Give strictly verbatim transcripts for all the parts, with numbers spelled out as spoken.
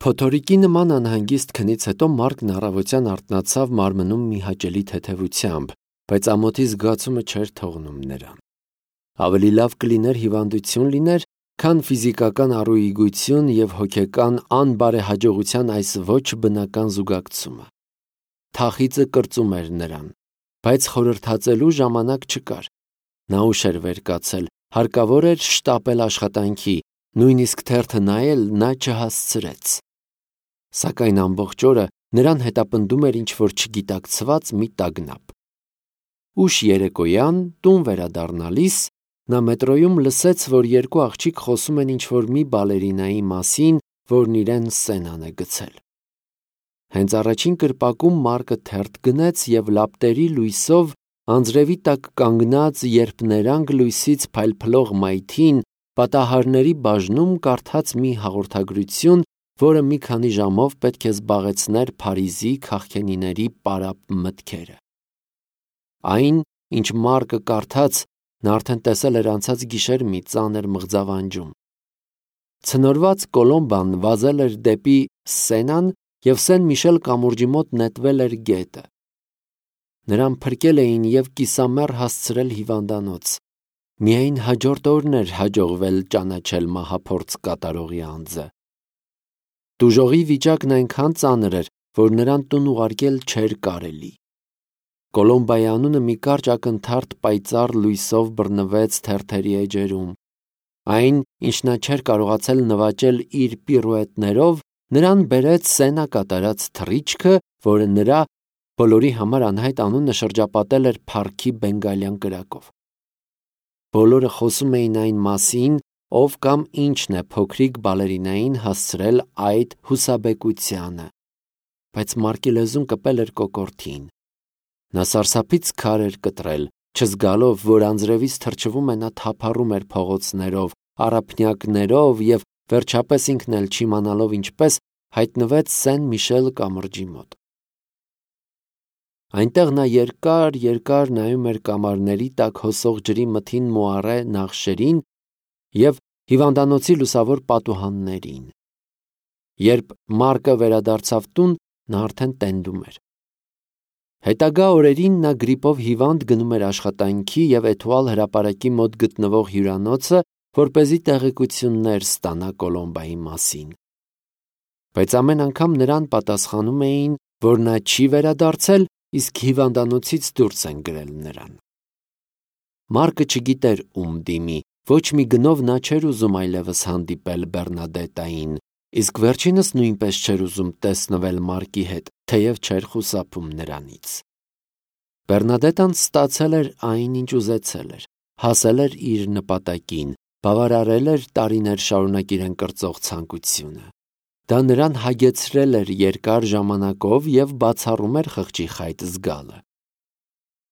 Փոթորիկի նման անհանգիստ քնից հետո Մարկն առավոտյան արթնացավ մարմնում մի հաճելի թեթևությամբ, բայց ամոթի զգացումը չէր թողնում նրան։ Ավելի լավ կլիներ հիվանդություն լիներ, քան ֆիզիկական առուիգություն և հոգեկան անբարեհաջողության այս ոչ բնական զուգակցումը։ Թախիծը կրծում էր նրան, բայց խորհրդածելու ժամանակ չկար։ Նա ուշ էր վեր կացել, հարկավոր էր շտապել աշխատանքի, նույնիսկ թերթը նայել նա չհասցրեց։ Սակայն ամբողջ օրը նրան հետապնդում էր ինչ-որ չգիտակցված մի տագնապ։ Ուշ երեկոյան, տուն վերադառնալիս, նա մետրոյում լսեց, որ երկու աղջիկ խոսում են ինչ-որ մի բալերինայի մասին, որն իրեն Սենան է գցել։ Հենց առաջին կրպակում Մարկը թերթ գնեց և լապտերի լույսով անձրևի տակ կանգնած, երբ ներանք լույսից փայլփլող մայթին պատահարների բաժնում կարդաց մի հաղորդագրություն, որը մի քանի ժամով պետք է զբաղեցներ Փարիզի քաղքենիների պարապ մտքերը։ Այն, ինչ Մարկը կարդաց, նա արդեն տեսել էր անցած գիշեր մի ծանր մղձավանջում։ Ցնորված Կոլոմբան վազել էր դեպի Սենան և Սեն-Միշել կամուրջի մոտ նետվել էր գետը։ Նրան փրկել էին և կիսամեռ հասցրել հիվանդանոց։ Միայն հաջորդ օրն էր հաջողվել ճանաչել մահափորձ կատարողի անձը։ Տուժողի վիճակն այնքան ծանր էր, որ նրան տուն ուղարկել չէր կարելի։ Կոլոմբայի անունը մի կարճ ակնթարթ պայծառ լույսով բռնվեց թերթերի էջերում։ Այն, ինչ նա չէր կարողացել նվաճել իր պիրուետներով, նրան բերեց Սենա կատարած թռիչքը, որը նրա բոլորի համար անհայտ անունը շրջապատել էր փառքի բենգալյան կրակով։ Բոլորը խոսում էին այն մասին, ով կամ ինչն է փոքրիկ բալերինային հասցրել այդ հուսաբեկությանը, բայց Մարկի լեզուն կպել էր կոկորդին։ Նա սարսափից քար էր կտրել, չզգալով, որ անձրևից թրջվում է, նա թափառում էր փողոցներով, առափնյակներով և վերջապես ինքն էլ չիմանալով ինչպես հայտնվեց Սեն-Միշել կամրջի մոտ։ Այնտեղ նա երկար-երկար նայում էր կամարների տակ հոսող ջրի մթին մոառե նախշերին և հիվանդանոցի լուսավոր պատուհաններին։ Երբ Մարկը վերադարձավ տուն, նա արդեն տենդում էր։ Հետագա օրերին նա գրիպով հիվանդ գնում էր աշխատանքի և Էթուալ հրապարակի մոտ գտնվող հյուրանոցը, որպեսզի տեղեկություններ ստանա Կոլոմբայի մասին։ Բայց ամեն անգամ նրան պատասխանում էին, որ նա չի վերադարձել, իսկ հիվանդանոցից դուրս են գրել նրան։ Մարկը չգիտեր ում դիմի, ոչ մի գնով նա չէր ուզում այլևս հանդիպել Բեռնադետային, իսկ վերջինս նույնպես չէր ուզում տեսնվել Մարկի հետ, թեև չէր խուսափում նրանից։ Բեռնադետան ստացել էր այն, ինչ ուզեցել էր, հասել էր իր նպատակին, բավարարել էր տարիներ շարունակ իրեն կրծող ցանկությունը։ Դա նրան հագեցրել էր երկար ժամանակով և բացառում էր խղճի խայտ զգալը։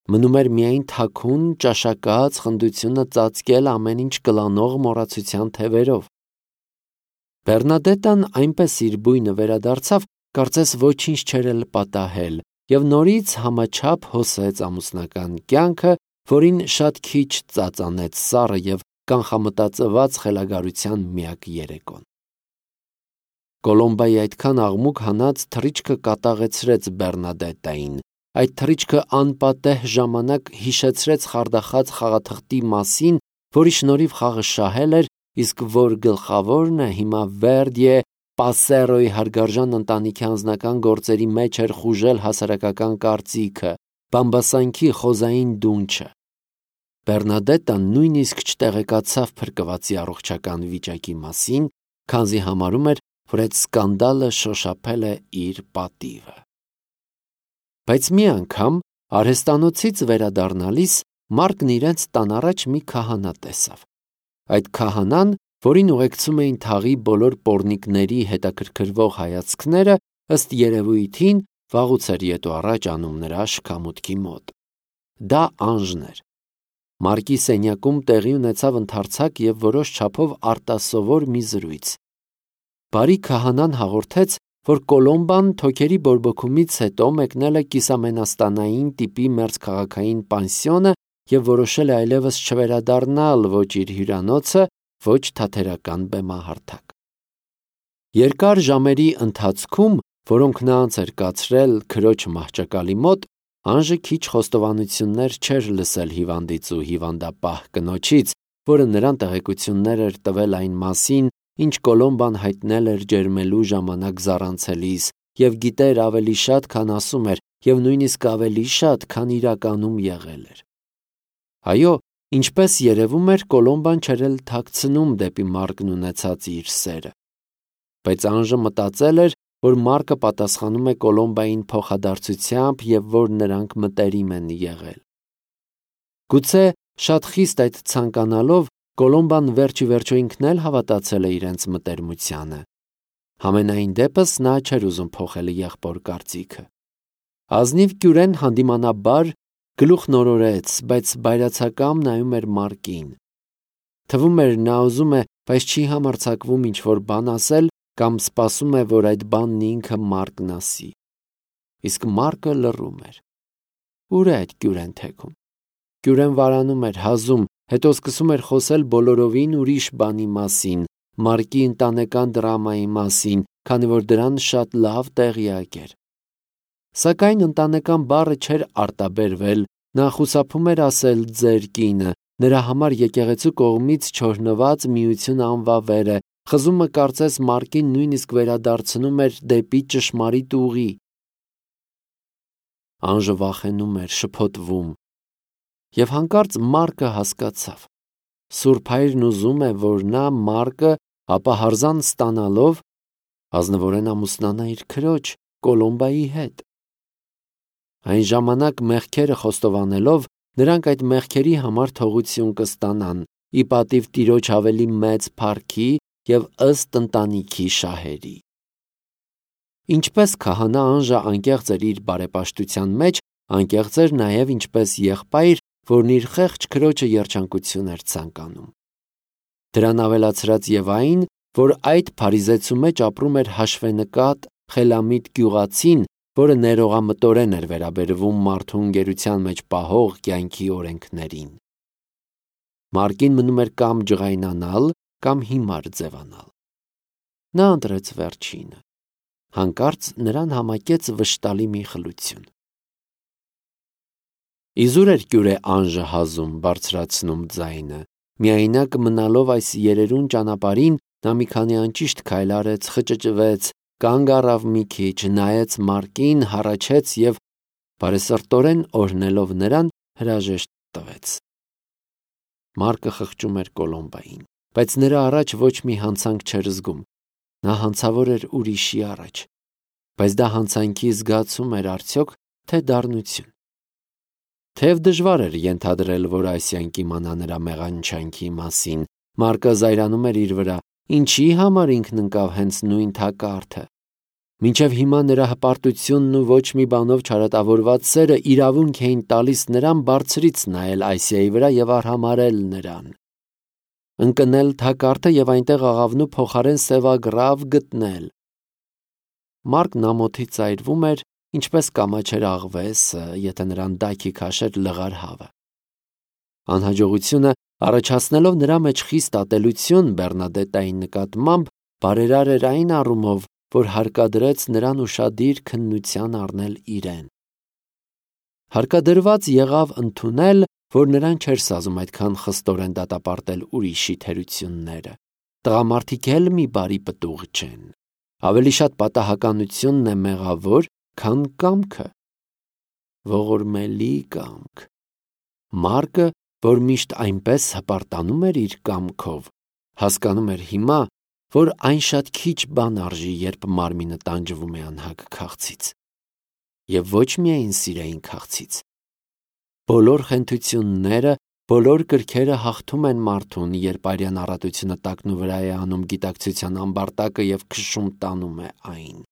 Մնում էր միայն թաքուն, ճաշակած խնդությունը ծածկել ամեն ինչ կլանող մոռացության թևերով։ Բեռնադետան այնպես իր բույնը վերադարձավ, կարծես ոչինչ չէր էլ պատահել, և նորից համաչափ հոսեց ամուսնական կյանքը, որին շատ քիչ ծածանեց սառը և կանխամտածված խելագարության միակ երեկոն։ Կոլոմբայի այդքան աղմուկ հանած թռիչքը կատաղեցրեց Բեռնադետային։ Այդ թռիչքը անպատեհ ժամանակ հիշեցրեց խարդախած խաղաթղթի մասին, որի շնորհիվ խաղը շահել էր, իսկ որ գլխավորն է հիմա Վերդիե Պասերոյի հարգարժան ընտանիքի անձնական գործերի մեջ էր խուժել հասարակական կարծիքը, բամբասանքի խոզային դունչը։ Բեռնադետան նույնիսկ չտեղեկացավ փրկվածի առողջական վիճակի մասին, քանզի համարում էր, որ այդ սկանդալը շոշափել է իր պատիվը։ Բայց մի անգամ արհեստանոցից վերադառնալիս Մարկն իրենց տան առաջ մի քահանա տեսավ։ Այդ քահանան, որին ուղեկցում էին թաղի բոլոր պոռնիկների հետաքրքրվող հայացքները, ըստ երևույթին վաղուց էր ետ ու առաջ անում նրա շքամուտքի մոտ։ Դա Անժն էր։ Մարկի սենյակում տեղի ունեցավ ընդարձակ և որոշ չափով արտասովոր մի զրույց։ Բարի քահանան հաղորդեց, որ Կոլոմբան թոքերի բորբոքումից հետո մեկնել է կիսամենաստանային տիպի մերձքաղաքային պանսիոնը և որոշել է այլևս չվերադառնալ ոչ իր հյուրանոցը, ոչ թատերական բեմահարթակ։ Երկար ժամերի ընթացքում, որոնք նա անց էր կացրել քրոջ մահճակալի մոտ, Անժը քիչ խոստովանություններ չէր լսել հիվանդից ու հիվանդապահ կնոջից, որը նրան տեղեկություններ էր տվել այն մասին, ինչ Կոլոմբան հայտնել էր ջերմելու ժամանակ զառանցելիս, և գիտեր ավելի շատ, քան ասում էր, և նույնիսկ ավելի շատ, քան իրականում եղել էր։ Այո, ինչպես երևում էր, Կոլոմբան չէր էլ թաքցնում դեպի Մարկն ունեցած իր սերը։ Բայց Անժը մտածել էր, որ Մարկը պատասխանում է Կոլոմբային փոխադարձությամբ և որ նրանք մտերիմ են եղել։ Գուցե շատ խիստ այդ ցանկանալով, Կոլոմբան վերջիվերջո ինքն էլ հավատացել է իրենց մտերմությանը։ Համենայն դեպս նա չէր ուզում փոխել եղբոր կարծիքը։ Ազնիվ կյուրեն հանդիմանաբար գլուխ նորորեց, բայց բայրացակամ նայում էր Մարկին։ Թվում էր նա ուզում է, բայց չի համարձակվում ինչ-որ բան ասել կամ սպասում է, որ այդ բանն ինքը Մարկն ասի։ Իսկ Մարկը լռում էր։ Ուր է այդ կյուրեն թեքում։ Կյուրեն վարանում էր, հազում, հետո սկսում էր խոսել բոլորովին ուրիշ բանի մասին, Մարկի ընտանեկան դրամայի մասին, քանի որ դրան շատ լավ տեղյակ էր։ Սակայն ընտանեկան բառը չէր արտաբերվել, նա խուսափում էր ասել ձեր կինը, նրա համար եկեղեցու կողմից չօրհնված միություն անվավեր է, խզումը կարծես Մարկին նույնիսկ վերադարձնում էր դեպի ճշմարիտ ուղի։ Անժը վախենում էր, շփոթվում։ Եվ հանկարծ Մարկը հասկացավ։ Սուրբ Հայրն ուզում է, որ նա Մարկը, ապա հարզան ստանալով, ազնվորեն ամուսնանա իր քրոջ Կոլոմբայի հետ։ Այն ժամանակ մեղքերը խոստովանելով, նրանք այդ մեղքերի համար թողություն կստանան, ի պատիվ Տիրոջ ավելի մեծ փառքի և ըստ ընտանիքի շահերի։ Ինչպես քահանա Անժը անկեղծ էր իր բարեպաշտության մեջ, անկեղծ էր նաև ինչպես եղբայր, որն իր խեղճ քրոջը երջանկություն էր ցանկանում։ Դրան ավելացրած և այն, որ այդ փարիզեցու մեջ ապրում էր հաշվենկատ, խելամիտ գյուղացին, որը ներողամտորեն էր վերաբերվում մարդու ընկերության մեջ պահող կյանքի օրենքներին։ Մարկին մնում էր կամ ջղայնանալ, կամ հիմար ձևանալ։ Նա ընտրեց վերջինը։ Հանկարծ նրան համակեց վշտալի մի խլություն։ Իզուր էր կյուրե Անժը հազում, բարձրացնում ձայնը։ Միայնակ մնալով այս երերուն ճանապարհին, նա մի քանի անճիշտ քայլ արեց, խճճվեց, կանգ առավ մի քիչ, նայեց Մարկին, հառաչեց և, բարեսրտորեն օրհնելով նրան, հրաժեշտ տվեց։ Մարկը խղճում էր Կոլոմբային, բայց նրա առաջ ոչ մի հանցանք չէր զգում։ Նա հանցավոր էր ուրիշի առաջ։ Բայց դա հանցանքի զգացում էր արդյոք, թե դառնություն։ Թեև դժվար էր ենթադրել, որ Ասիան կիմանա նրա մեղանչանքի մասին, Մարկը զայրանում էր իր վրա, ինչի համար ինքն ընկավ հենց նույն թակարդը։ Մինչև հիմա նրա հպարտությունն ու ոչ մի բանով չարատավորված սերը իրավունք էին տալիս նրան բարձրից նայել Ասիայի վրա և արհամարհել նրան։ Ընկնել թակարդը և այնտեղ աղավնու փոխարեն սևագրավ գտնել։ Մարկն ամոթից ծայրվում էր, ինչպես կամաչեր աղվեսը, եթե նրան դայքի քաշեր լղար հավը։ Անհաջողությունը, առաջացնելով նրա մեջ խիստ ատելություն Բեռնադետտայի նկատմամբ, բարերար էր այն առումով, որ հարկադրեց նրան ուշադիր քննության առնել իրեն։ Հարկադրված եղավ ընդունել, որ նրան չէր սազում այդքան խստորեն դատապարտել ուրիշի թերությունները։ Տղամարդիկ էլ մի բարի պտուղ չեն։ Ավելի շատ պատահականությունն է մեղավոր, քան կամքը։ Ողորմելի կամք։ Մարկը, որ միշտ այնպես հպարտանում էր իր կամքով, հասկանում էր հիմա, որ այն շատ քիչ բան արժի, երբ մարմինը տանջվում է անհագ քաղցից։ Եվ ոչ միայն սիրային քաղցից։ Բոլոր խենթությունները, բոլոր կրքերը հաղթում են մարդուն, երբ արյան առատությունը տակնու վրա է անում գիտակցության ամբարտակը և քշում տանում է այն։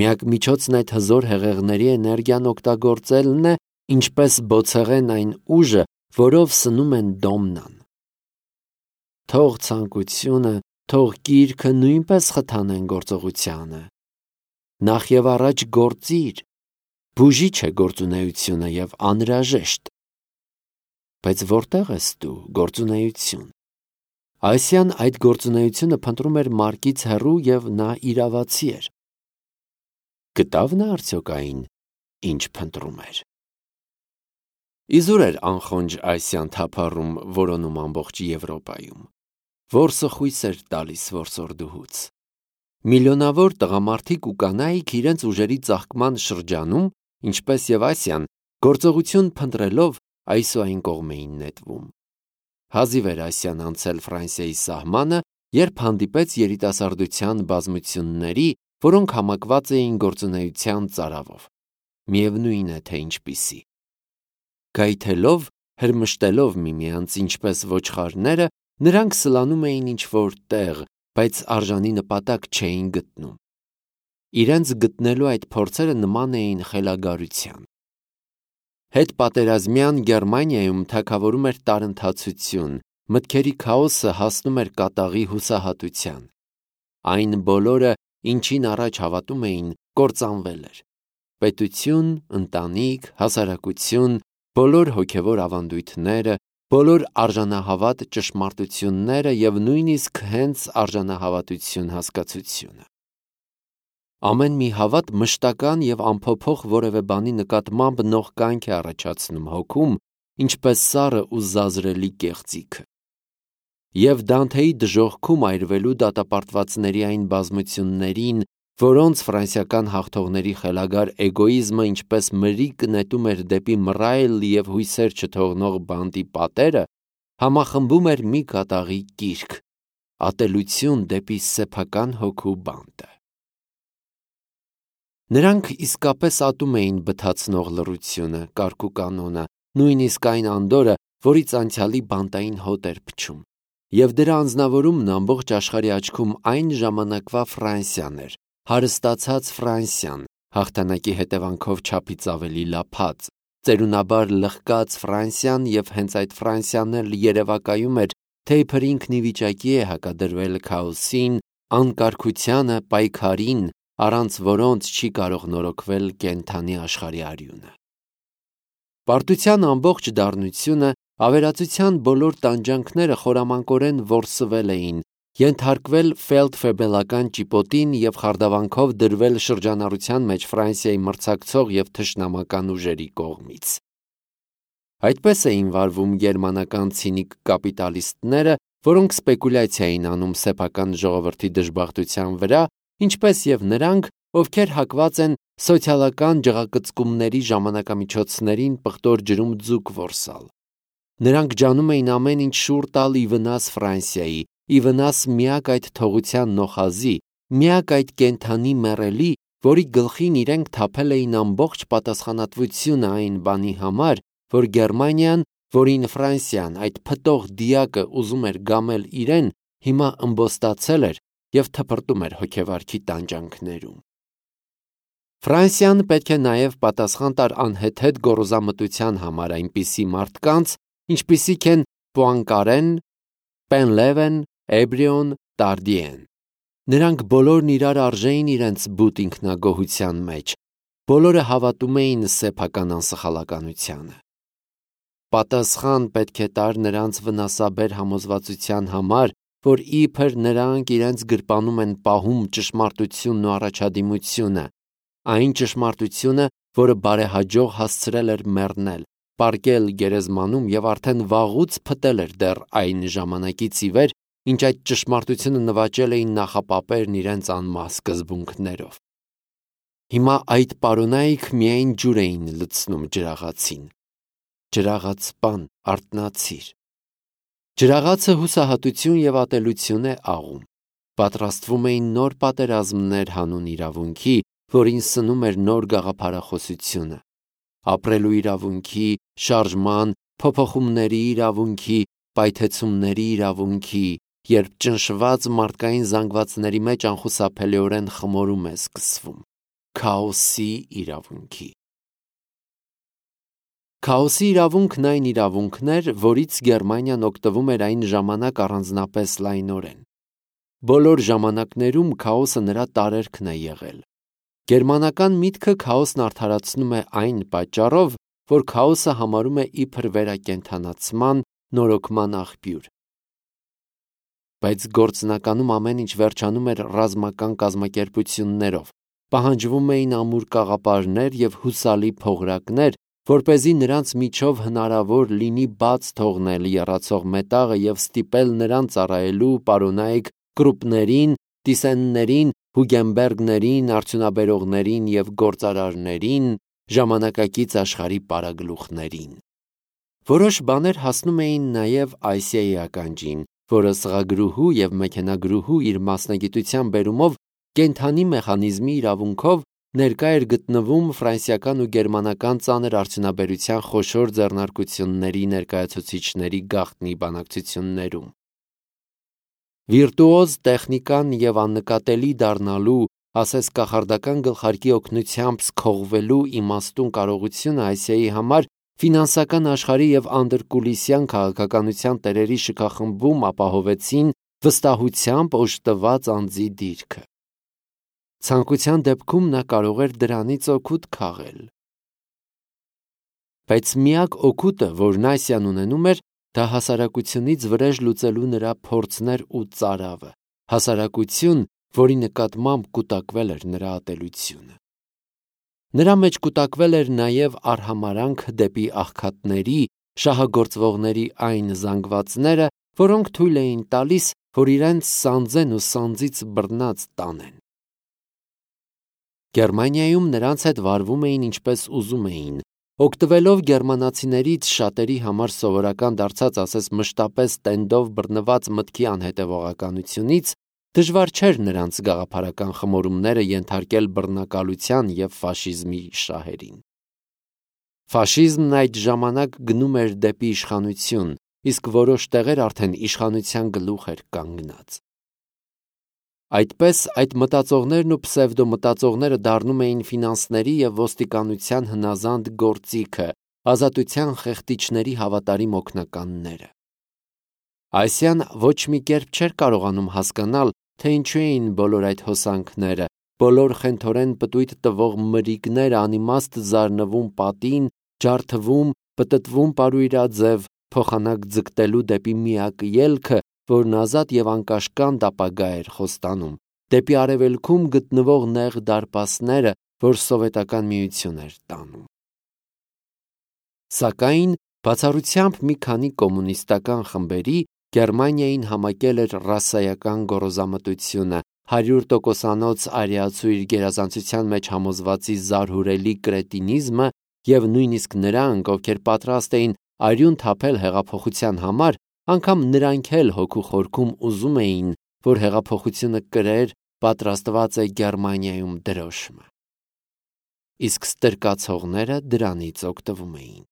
Միակ միջոցն այդ հզոր հեղեղների էներգիան օգտագործելն է, ինչպես բոցեղեն այն ուժը, որով սնում են դոմնան։ Թող ցանկությունը, թող կիրքը նույնպես խթանեն գործողությանը։ Նախ և առաջ գործիր, բուժիչ է գործունեությունը և անհրաժեշտ։ Բայց որտե՞ղ ես դու, գործունեություն։ Այսյան այդ գործունեությունը փնտրում էր Մարկից հեռու և նա իրավացի էր։ Գտավ նա արդյոք այն, ինչ փնտրում էր։ Իզուր էր անխոնջ Այսյան թափառում որոնում ամբողջ Եվրոպայում։ Որսը խույս էր տալիս որսորդուհուց։ Միլիոնավոր տղամարդիկ ու կանայք իրենց ուժերի ծաղկման շրջանում, ինչպես և Ասիան, գործողություն փնտրելով այս ու այն կողմ էին նետվում։ Հազիվ էր Ասիան անցել Ֆրանսիայի սահմանը, երբ հանդիպեց երիտասարդության բազմությունների, որոնք համակված էին գործունեության ծարավով։ Միևնույն է, թե ինչպիսի։ Գայթելով, հրմշտելով միմյանց ինչպես ոչխարները, նրանք սլանում էին ինչ-որ տեղ, բայց արժանի նպատակ չէին գտնում։ Իրենց գտնելու այդ փորձերը նման էին խելագարության։ Հետպատերազմյան Գերմանիայում թագավորում էր տարընթացություն, մտքերի քաոսը հասնում էր կատաղի հուսահատության։ Այն բոլորը, ինչին առաջ հավատում էին, կործանվել էր։ Պետություն, ընտանիք, հասարակություն, բոլոր հոգևոր ավանդույթները, բոլոր արժանահավատ ճշմարտությունները և նույնիսկ հենց արժանահավատություն հասկացությունը։ Ամեն մի հավատ մշտական և անփոփոխ որևէ բանի նկատմամբ նող կյանք է առաջացնում հոգում, ինչպես սառը ու զազրելի կեղծիքը։ Եվ Դանթեի դժոխքում այրվելու դատապարտվածների այն բազմություններին, որոնց ֆրանսիական հաղթողների խելագար էգոիզմը ինչպես մրրիկ նետում էր դեպի մռայլ և հույսեր չթողնող բանտի պատերը, համախմբում էր մի կատաղի կիրք՝ ատելություն դեպի սեփական հոգու բանտը։ Նրանք իսկապես ատում էին բթացնող լռությունը, կարգուկանոնը, նույնիսկ այն անդորրը, որից անցյալի բանտային հոտ էր փչում, և դրա անձնավորումն ամբողջ աշխարհի աչքում այն ժամանակվա Ֆրանսիան էր, հարստացած Ֆրանսիան, հաղթանակի հետևանքով չափից ավելի լափած, ծերունաբար լղկած Ֆրանսիան, և հենց այդ Ֆրանսիան էլ երևակայում էր, թե իբր ինքն ի վիճակի է հակադրվել քաոսին, անկարգությանը, պայքարին, առանց որոնց չի կարող նորոգվել կենդանի աշխարհի արյունը։ Պարտության ամբողջ դառնությունը, ավերածության բոլոր տանջանքները խորամանկորեն որսվել էին, ենթարկվել ֆելդֆեբելական ճիպոտին և խարդավանքով դրվել շրջանառության մեջ Ֆրանսիայի մրցակցող և թշնամական ուժերի կողմից։ Այդպես էին վարվում գերմանական ցինիկ կապիտալիստները, որոնք սպեկուլյացիա էին անում սեփական ժողովրդի դժբախտության վրա, ինչպես և նրանք, ովքեր հակված են սոցիալական ջղակծկումների ժամանակամիջոցներին պղտոր ջրում ձուկ որսալ։ Նրանք ջանում էին ամեն ինչ շուռ տալ ի վնաս Ֆրանսիայի, ի վնաս միակ այդ թողության նոխազի, միակ այդ կենդանի մեռելի, որի գլխին իրենք թափել էին ամբողջ պատասխանատվությունը այն բանի համար, որ Գերմանիան, որին Ֆրանսիան, այդ փտող դիակը ուզում էր գամել իրեն, հիմա ըմբոստացել էր և թփրտում էր հոգեվարքի տանջանքներում։ Ֆրանսիան պետք է նաև պատասխան տար անհեթեթ գոռոզամտության համար այնպիսի մարդկանց, ինչպիսիք են Պուանկարեն, Պենլևեն, Էբրիոն, Տարդիեն։ Նրանք բոլորն իրար արժեին իրենց բութ ինքնագոհության մեջ, բոլորը հավատում էին սեփական անսխալականությանը։ Պատասխան պետք է տար նրանց վնասաբեր համոզվածության համար, որ իբր նրանք իրենց գրպանում են պահում ճշմարտությունն ու առաջադիմությունը, այն ճշմարտությունը, որը բարեհաջող հասցրել էր մեռնել, պառկել գերեզմանում և արդեն վաղուց փտել էր դեռ այն ժամանակից ի վեր, ինչ այդ ճշմարտությունը նվաճել էին նախապապերն իրենց անմահ սկզբունքներով։ Հիմա այդ պարոնայք միայն ջուր էին լցնում ջրաղացին։ Ջրաղացպան, արթնացիր։ Ջրաղացը հուսահատություն և ատելություն է աղում։ Պատրաստվում էին նոր պատերազմներ հանուն իրավունքի, որին սնում էր նոր գաղափարախոսությունը։ Ապրելու իրավունքի, շարժման, փոփոխումների իրավունքի, պայթեցումների իրավունքի, երբ ճնշված մարդկային զանգվածների մեջ անխուսափելիորեն խմորում է սկսվում։ Քաոսի իրավունքի։ Քաոսի իրավունքն այն իրավունքն էր, որից Գերմանիան օգտվում էր այն ժամանակ առանձնապես լայնորեն։ Բոլոր ժամանակներում քաոսը նրա տարերքն է եղել։ Գերմանական միտքը քաոսն արդարացնում է այն պատճառով, որ քաոսը համարում է իբր վերակենդանացման, նորոգման աղբյուր։ բայց գործնականում ամեն ինչ վերջանում էր ռազմական կազմակերպություններով, պահանջվում էին ամուր կաղապարներ և հուսալի փողրակներ, որպեսզի նրանց միջով հնարավոր լինի բաց թողնել եռացող մետաղը և ստիպել նրան ծառայելու պարոնայք կրուպներին, տիսեններին, հուգենբերգներին, արդյունաբերողներին և գործարարներին, ժամանակակից աշխարհի պարագլուխներին։ Որոշ բաներ հասնում էին նաև Ասիայի ականջին, որը սղագրուհու և մեքենագրուհու իր մասնագիտության բերումով կենդանի մեխանիզմի իրավունքով ներկա էր գտնվում ֆրանսիական ու գերմանական ծանր արդյունաբերության խոշոր ձեռնարկությունների ներկայացուցիչների գաղտնի բանակցություններում։ Վիրտուոզ տեխնիկան և աննկատելի դառնալու, ասես կախարդական գլխարկի օգնությամբ սքողվելու իմաստուն կարողությունը Ասիայի համար ֆինանսական աշխարհի և անդրկուլիսյան քաղաքականության տերերի շքախմբում ապահովեցին վստահությամբ օժտված անձի դիրքը։ Ցանկության դեպքում նա կարող էր դրանից օգուտ քաղել։ Բայց միակ օգուտը, որն Ասիան ունենում էր, դա հասարակությունից վրեժ լուծելու նրա փորձն էր ու ծարավը, հասարակություն, որի նկատմամբ կուտակվել էր նրա ատելությունը։ Նրա մեջ կուտակվել էր նաև արհամարհանքը դեպի աղքատների, շահագործվողների այն զանգվածները, որոնք թույլ էին տալիս, որ իրենց սանձեն ու սանձից բռնած տանեն։ Գերմանիայում նրանց հետ վարվում էին ինչպես ուզում էին, օգտվելով գերմանացիներից շատերի համար սովորական դարձած ասես մշտապես տենդով բռնված մտքի անհետևողականությունից, դժվար չէր նրանց գաղափարական խմորումները ենթարկել բռնակալության և ֆաշիզմի շահերին։ Ֆաշիզմն այդ ժամանակ գնում էր դեպի իշխանություն, իսկ որոշ տեղեր արդեն իշխանության գլուխ էր կանգնած։ Այդպես այդ մտածողներն ու պսևդոմտածողները դառնում էին ֆինանսների և ոստիկանության հնազանդ գործիքը, ազատության խեղդիչների հավատարիմ օգնականները։ Ասիան ոչ մի կերպ չէր կարողանում հասկանալ, թե ինչու էին բոլոր այդ հոսանքները, բոլոր խենթորեն պտույտ տվող մրրիկները անիմաստ զարնվում պատին, ջարդվում, պտտվում պարույրաձև, փոխանակ ձգտելու դեպի միակ ելքը, որն ազատ և անկաշկանդ ապագա էր խոստանում, դեպի արևելքում գտնվող նեղ դարպասները, որ Սովետական Միություն էր տանում։ Սակայն բացառությամբ մի քանի կոմունիստական խմբերի Գերմանիային համակել էր ռասայական գոռոզամտությունը, հարյուր տոկոսանոց արիացու իր գերազանցության մեջ համոզվածի զարհուրելի կրետինիզմը և նույնիսկ նրանք, ովքեր պատրաստ էին արյուն թափել հեղափոխության համար, անգամ նրանք էլ հոգու խորքում ուզում էին, որ հեղափոխությունը կրեր «պատրաստված է Գերմանիայում» դրոշմը։ Իսկ ստրկացողները դրանից օգտվում էին։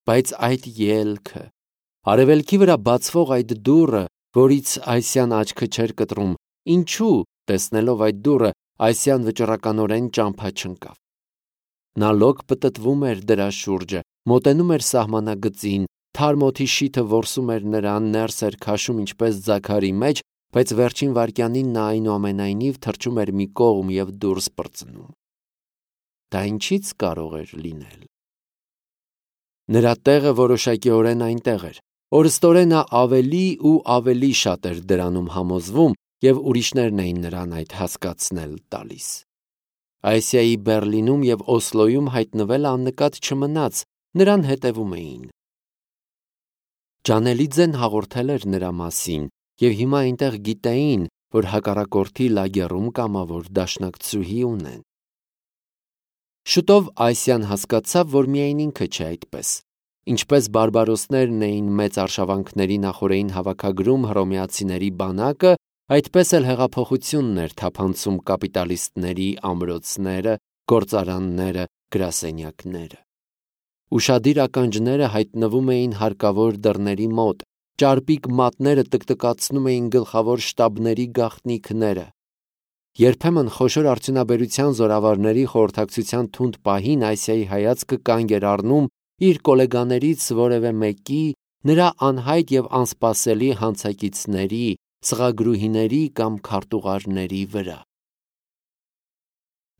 Բայց այդ ելքը, արևելքի վրա բացվող այդ դուռը, որից Ասիան աչքը չէր կտրում, ինչու, տեսնելով այդ դուռը, Ասիան վճռականորեն ճամփա չընկավ։ Նա լոկ պտտվում էր դրա շուրջը, մոտենում էր սահմանագծին, թարմ օդի շիթը որսում էր նրան, ներս էր քաշում ինչպես ձագարի մեջ, բայց վերջին վայրկյանին նա այնուամենայնիվ թռչում էր մի կողմ և դուրս պրծնում։ Դա ինչի՞ց կարող էր լինել։ Նրա տեղը որոշակիորեն այնտեղ էր։ Օրստորեն նա ավելի ու ավելի շատ էր դրանում համոզվում, և ուրիշներն էին նրան այդ հասկացնել տալիս։ Ասիայի Բեռլինում և Օսլոյում հայտնվելը աննկատ չմնաց, նրան հետևում էին։ Ջանելիձեն հաղորդել էր նրա մասին, և հիմա այնտեղ գիտեին, որ հակառակորդի լագեռում կամավոր դաշնակցուհի ունեն։ Շուտով Ասիան հասկացավ, որ միայն ինքը չէ այդպես։ Ինչպես բարբարոսներն էին մեծ արշավանքների նախօրեին հավաքագրում հռոմեացիների բանակը, այդպես էլ հեղափոխությունն էր թափանցում կապիտալիստների ամրոցները, գործարանները, գրասենյակները։ Ուշադիր ականջները հայտնվում էին հարկավոր դռների մոտ, ճարպիկ մատները տկտկացնում էին գլխավոր շտաբների գաղտնիքները։ Երբեմն խոշոր արդյունաբերության զորավարների խորհրդակցության թունդ պահին Ասիայի հայացքը կանգ էր առնում իր կոլեգաներից որևէ մեկի, նրա անհայտ և անսպասելի հանցակիցների, սղագրուհիների կամ քարտուղարների վրա։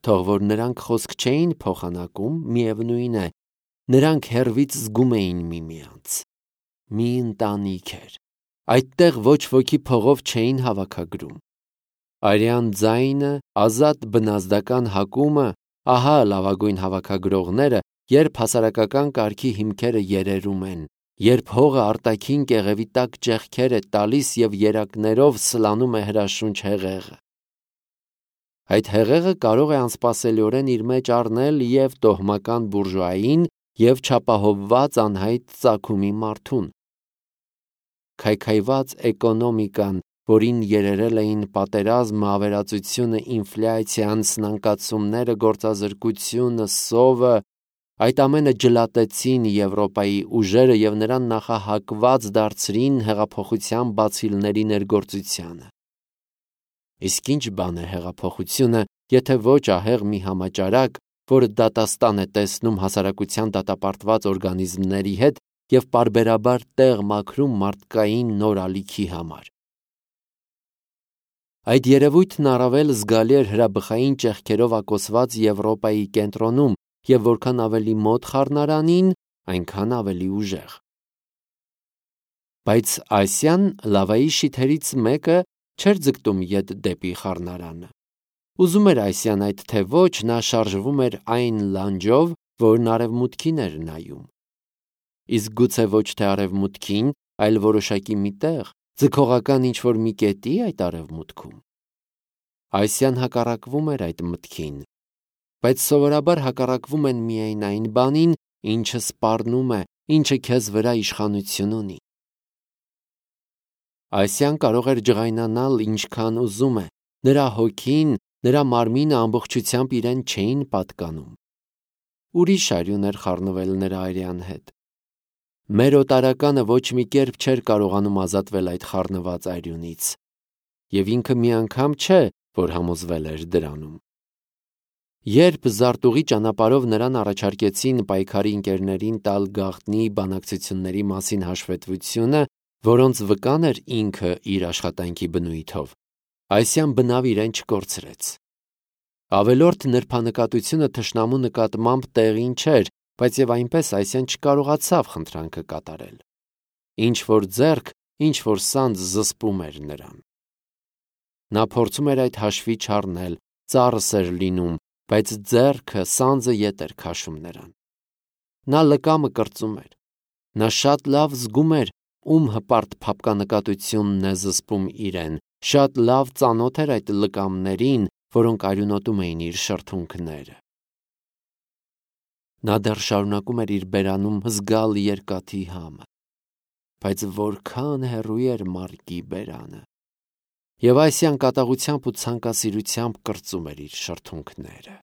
Թող որ նրանք խոսք չէին փոխանակում, միևնույն է, նրանք հեռվից զգում էին միմյանց։ Մի ընտանիք էր։ Այդտեղ ոչ ոքի փողով չէին հավաքագրում։ Արյան ձայնը, ազատ բնազդական հակումը, ահա լավագույն հավաքագրողները, երբ հասարակական կարգի հիմքերը երերում են, երբ հողը արտաքին կեղևի տակ ճեղքեր է տալիս և երակներով սլանում է հրաշունչ հեղեղը։ Այդ հեղեղը կարող է անսպասելիորեն իր մեջ առնել և տոհմական բուրժուային, և չապահովված անհայտ ծագումի մարդուն։ Քայքայված էկոնոմիկան, որին երերել էին պատերազմը, ավերածությունը, ինֆլյացիան, սնանկացումները, գործազրկությունը, սովը, այդ ամենը ջլատեցին Եվրոպայի ուժերը և նրան նախահակված դարձրին հեղափոխության բացիլների ներգործությանը։ Իսկ ինչ բան է հեղափոխությունը, եթե ոչ ահեղ մի համաճարակ, որը դատաստան է տեսնում հասարակության դատապարտված օրգանիզմների հետ և պարբերաբար տեղ մաքրում մարդկային նոր ալիքի համար։ Այդ երևույթն առավել զգալի էր հրաբխային ճեղքերով ակոսված Եվրոպայի կենտրոնում և որքան ավելի մոտ խառնարանին, այնքան ավելի ուժեղ։ Բայց Ասիան, լավայի շիթերից մեկը, չէր ձգտում ետ դեպի խառնարանը։ Ուզում էր Ասիան այդ թե ոչ, նա շարժվում էր այն լանջով, որն արևմուտքին էր նայում։ Իսկ գուցե ոչ թե արևմուտքին, այլ որոշակի մի տեղ, ձգողական ինչ-որ մի կետի այդ արևմուտքում։ Ասիան հակառակվում էր այդ մտքին, բայց սովորաբար հակառակվում են միայն այն բանին, ինչը սպառնում է, ինչը քեզ վրա իշխանություն ունի։ Ասիան կարող էր ջղայնանալ ինչքան ուզում է, նրա հոգին, նրա մարմինը ամբողջությամբ իրեն չէին պատկանում։ Ուրիշ արյուն էր խառնվել նրա արյան հետ։ Մեր օտարականը ոչ մի կերպ չէր կարողանում ազատվել այդ խառնված արյունից, և ինքը մի անգամ չէ, որ համոզվել էր դրանում։ Երբ զարտուղի ճանապարհով նրան առաջարկեցին պայքարի ընկերներին տալ գաղտնի բանակցությունների մասին հաշվետվությունը, որոնց վկան էր ինքը իր աշխատանքի բնույթով, Ասիան բնավ իրեն չկորցրեց։ Ավելորդ նրբանկատությունը թշնամու նկատմամբ տեղին չէր, բայց և այնպես Ասիան չկարողացավ խնդրանքը կատարել։ Ինչ-որ ձեռք, ինչ-որ սանձ զսպում էր նրան։ Նա փորձում էր այդ հաշվի չառնել, ծառս էր լինում, բայց ձեռքը, սանձը ետ էր քաշում նրան։ Նա լկամը կրծում էր։ Նա շատ լավ զգում էր, ում հպարտ փափկանկատությունն է զսպում իրեն, շատ լավ ծանոթ էր այդ լկամներին, որոնք արյունոտում էին իր շրթունքները։ Նա դեռ շարունակում էր իր բերանում զգալ երկաթի համը, բայց որքան հեռու էր մառկի բերանը։ Եվ Ասիան կատաղությամբ ու ցանկասիրությամբ կրծում էր իր շրթունքները։